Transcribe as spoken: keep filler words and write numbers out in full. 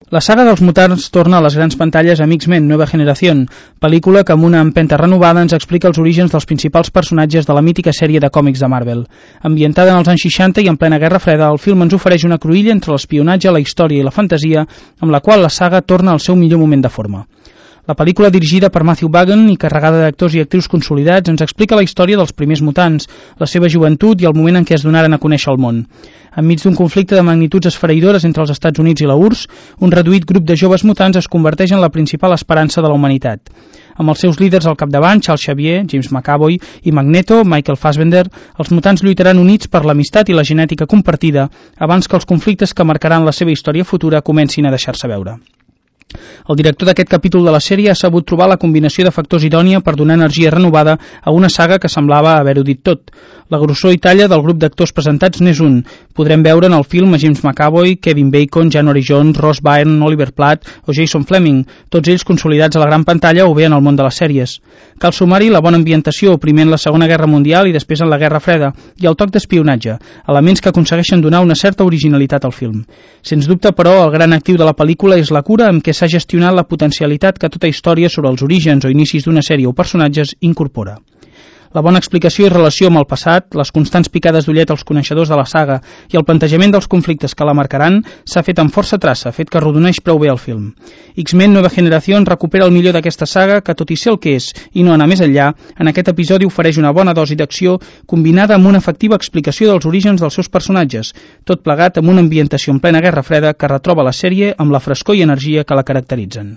La saga dels mutants torna a les grans pantalles amb X-Men Nueva Generación, pel·lícula que amb una empenta renovada ens explica els orígens dels principals personatges de la mítica sèrie de còmics de Marvel. Ambientada en els anys seixanta i en plena Guerra Freda, el film ens ofereix una cruïlla entre l'espionatge, la història i la fantasia, amb la qual la saga torna al seu millor moment de forma. La pel·lícula, dirigida per Matthew Vaughn i carregada d'actors i actrius consolidats, ens explica la història dels primers mutants, la seva joventut i el moment en què es donaren a conèixer el món. Enmig d'un conflicte de magnituds esfereïdores entre els Estats Units i la U R S, un reduït grup de joves mutants es converteix en la principal esperança de la humanitat. Amb els seus líders al capdavant, Charles Xavier, James McAvoy i Magneto, Michael Fassbender, els mutants lluitaran units per l'amistat i la genètica compartida abans que els conflictes que marcaran la seva història futura comencin a deixar-se veure. El director d'aquest capítol de la sèrie ha sabut trobar la combinació de factors idònia per donar energia renovada a una saga que semblava haver-ho dit tot. La grossor i talla del grup d'actors presentats n'és un. Podrem veure en el film a James McAvoy, Kevin Bacon, January Jones, Ross Byrne, Oliver Platt o Jason Fleming, tots ells consolidats a la gran pantalla o bé en el món de les sèries. Cal sumar-hi la bona ambientació, primer en la Segona Guerra Mundial i després en la Guerra Freda, i el toc d'espionatge, elements que aconsegueixen donar una certa originalitat al film. Sens dubte, però, el gran actiu de la pel·lícula és la cura amb què s'ha gestionat la potencialitat que tota història sobre els orígens o inicis d'una sèrie o personatges incorpora. La bona explicació i relació amb el passat, les constants picades d'ullet als coneixedors de la saga i el plantejament dels conflictes que la marcaran s'ha fet amb força traça, fet que arrodoneix prou bé el film. X-Men Nueva Generación recupera el millor d'aquesta saga que, tot i ser el que és i no anar més enllà, en aquest episodi ofereix una bona dosi d'acció combinada amb una efectiva explicació dels orígens dels seus personatges, tot plegat amb una ambientació en plena Guerra Freda que retroba la sèrie amb la frescor i energia que la caracteritzen.